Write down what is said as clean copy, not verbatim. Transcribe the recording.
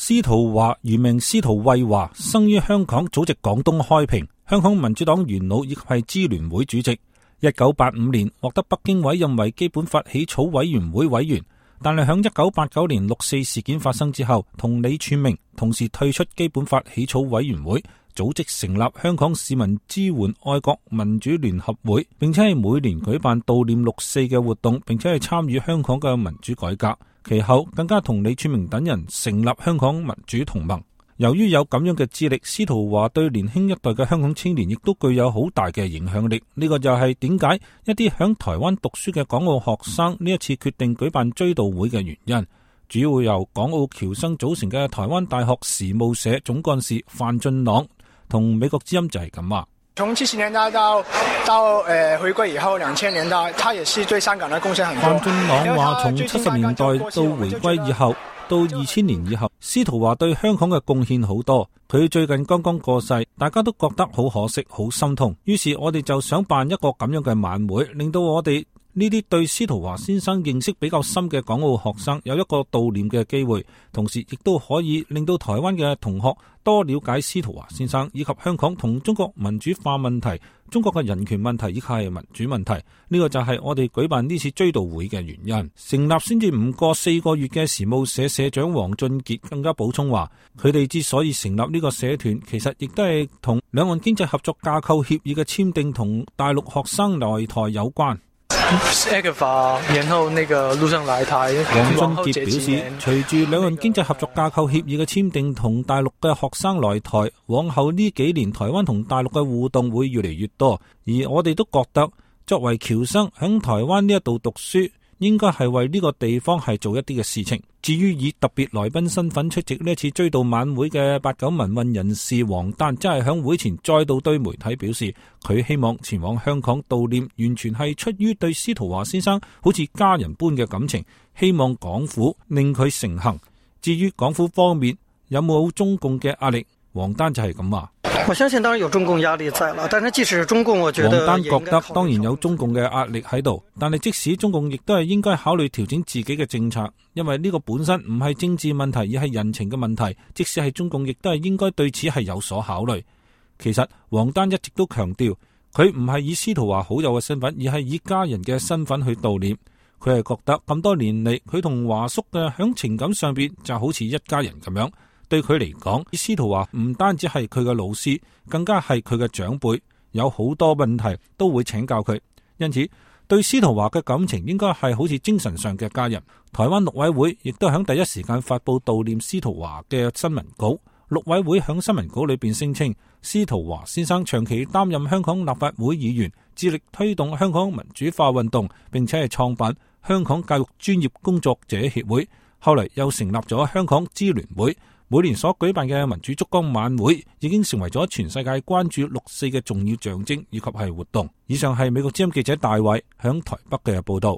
司徒華原名司徒惠華，生於香港，祖籍廣東開平，香港民主黨元老亦係支聯會主席。1985年獲得北京委任為基本法起草委員會委員，但係響1989年六四事件發生之後，同李柱銘同時退出基本法起草委員會，組織成立香港市民支援愛國民主聯合會，並且係每年舉辦悼念六四嘅活動，並且係參與香港嘅民主改革。其後更加同李柱銘等人成立香港民主同盟。由於有咁樣嘅資歷，司徒華對年輕一代嘅香港青年亦都具有好大嘅影響力。呢個就係點解一啲響台灣讀書嘅港澳學生呢一次決定舉辦追悼會嘅原因。主要由港澳僑生組成嘅台灣大學時務社總幹事范俊朗同美國之音就係咁話。從70年代到回歸以後2000年代，他也是對香港的貢獻很多。范俊朗話，從70年代到回歸以後，到2000年以後，司徒華對香港嘅貢獻好多。佢最近剛剛過世，大家都覺得好可惜，好心痛。於是我哋就想辦一個咁樣嘅晚會，令到我哋呢啲對司徒華先生認識比較深嘅港澳學生有一個悼念嘅機會，同時亦都可以令到台灣嘅同學多了解司徒華先生以及香港同中國民主化問題、中國嘅人權問題以及係民主問題。呢個就係我哋舉辦呢次追悼會嘅原因。成立先至唔過4個月嘅時務社社長黃俊傑更加補充話，佢哋之所以成立呢個社團，其實亦都係同兩岸經濟合作架構協議嘅簽訂同大陸學生來台有關。然後那個陸生來台。黃俊傑表示，隨住兩岸經濟合作架構協議嘅簽訂同大陸嘅學生來台，往後呢幾年台灣同大陸嘅互動會越嚟越多，而我哋都覺得作為僑生喺台灣呢一度讀書，應該係為呢個地方係做一啲嘅事情。至於以特別來賓身份出席呢次追悼晚會嘅89民運人士黃丹，真係響會前再度對媒體表示，佢希望前往香港悼念，完全係出於對司徒華先生好似家人般嘅感情，希望港府令佢成行。至於港府方面有冇中共嘅壓力，黃丹就係咁話。我相信當然有中共壓力在了，但是即使中共，我覺得黃丹覺得當然有中共嘅壓力喺度，但係即使中共亦都係應該考慮調整自己嘅政策，因為呢個本身唔係政治問題，而係人情嘅問題。即使係中共，亦都係應該對此係有所考慮。其實黃丹一直都強調，佢唔係以司徒華好友嘅身份，而係以家人嘅身份去悼念。佢係覺得咁多年嚟，佢同華叔嘅響情感上邊就好似一家人咁樣。對佢嚟講，司徒華唔單止係佢嘅老師，更加係佢嘅長輩，有好多問題都會請教佢。因此，對司徒華嘅感情應該係好似精神上嘅家人。台灣陸委會亦都喺第一時間發佈悼念司徒華嘅新聞稿。陸委會喺新聞稿裏邊聲稱，司徒華先生長期擔任香港立法會議員，致力推動香港民主化運動，並且係創辦香港教育專業工作者協會，後嚟又成立咗香港支聯會。每年所舉辦嘅民主燭光晚會已經成為咗全世界關注六四嘅重要象徵以及係活動。以上係美國之音記者大衛響台北嘅報道。